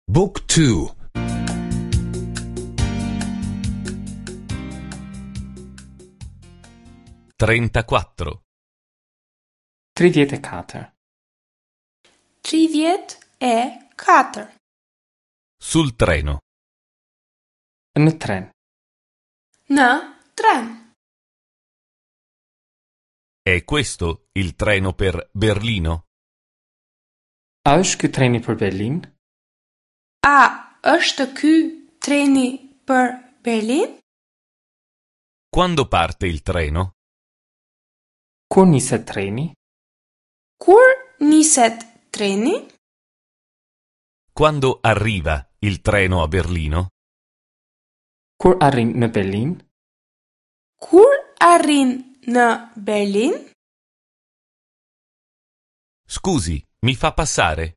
Book 2 34. 34. 34. Sul treno. Në tren. Në tren. È questo il treno per Berlino? A është ky treni për Berlin? A është ky treni për Berlin? Quando parte il treno? Kur niset treni? Kur niset treni? Quando arriva il treno a Berlino? Kur arrin në Berlin? Kur arrin në Berlin? Scusi, mi fa passare?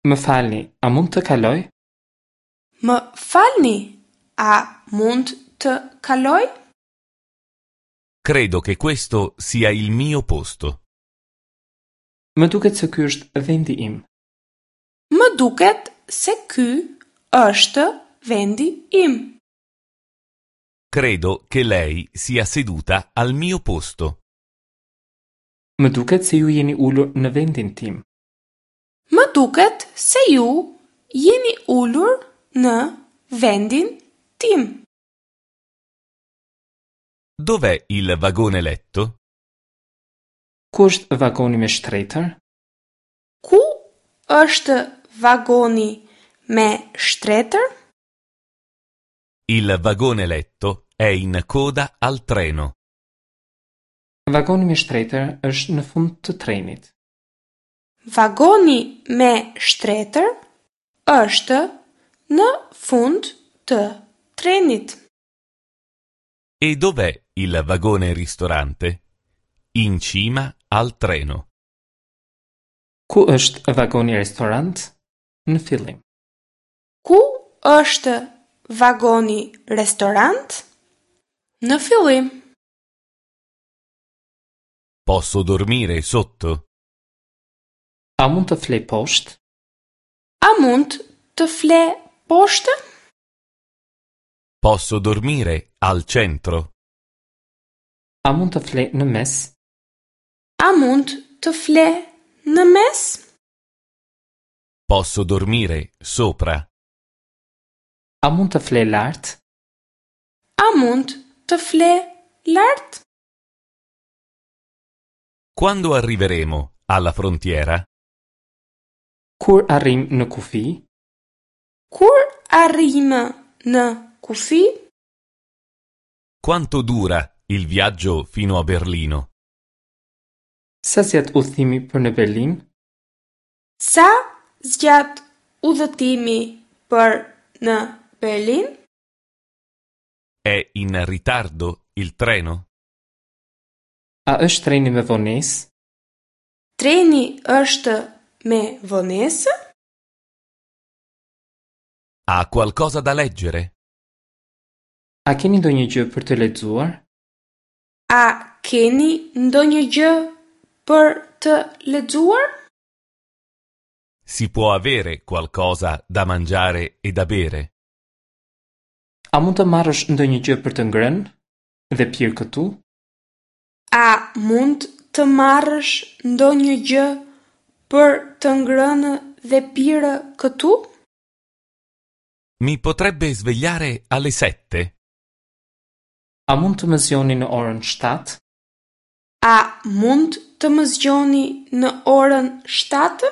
Më falni, a mund të kaloj? Më falni, a mund të kaloj? Credo che questo sia il mio posto. Më duket se ky është vendi im. Më duket se ky është vendi im. Credo che lei sia seduta al mio posto. Më duket se ju jeni ulur në vendin tim. Më duket se ju jeni ulur në vendin tim. Dov'è il vagone letto? Ku është vagoni me shtretër? Ku është vagoni me shtretër? Il vagone letto è in coda al treno. Vagoni me shtretër është në fund të trenit. Vagoni me shtretër është në fund të trenit. E dov'è il vagone ristorante? In cima al treno. Ku është vagoni restorant? Në fillim. Ku është vagoni restorant? Në fillim. Posso dormire sotto? A mund të flej poshtë? A mund të fle poshtë? Posso dormire al centro? A mund të flej në mes? A mund të fle në mes? Posso dormire sopra? A mund të flej lart? A mund të fle lart? Quando arriveremo alla frontiera? Kur arrim në kufi? Kur arrijmë në kufi? Quanto dura il viaggio fino a Berlino? Sa zgjat udhëtimi për në Berlin? Sa zgjat udhëtimi për në Berlin? È in ritardo il treno? A është treni me vonesë? Treni është me vonesë? Ha qualcosa da leggere? A keni ndonjë gjë për të lexuar? A keni ndonjë gjë për të lexuar? Si può avere qualcosa da mangiare e da bere? A mund të marrësh ndonjë gjë për të ngrënë dhe pirë këtu? A mund të marrësh ndonjë gjë për të ngrënë dhe pirë këtu? Mi potrebbe svegliare alle sette? A mund të më zgjoni në orën 7? A mund të më zgjoni në orën 7?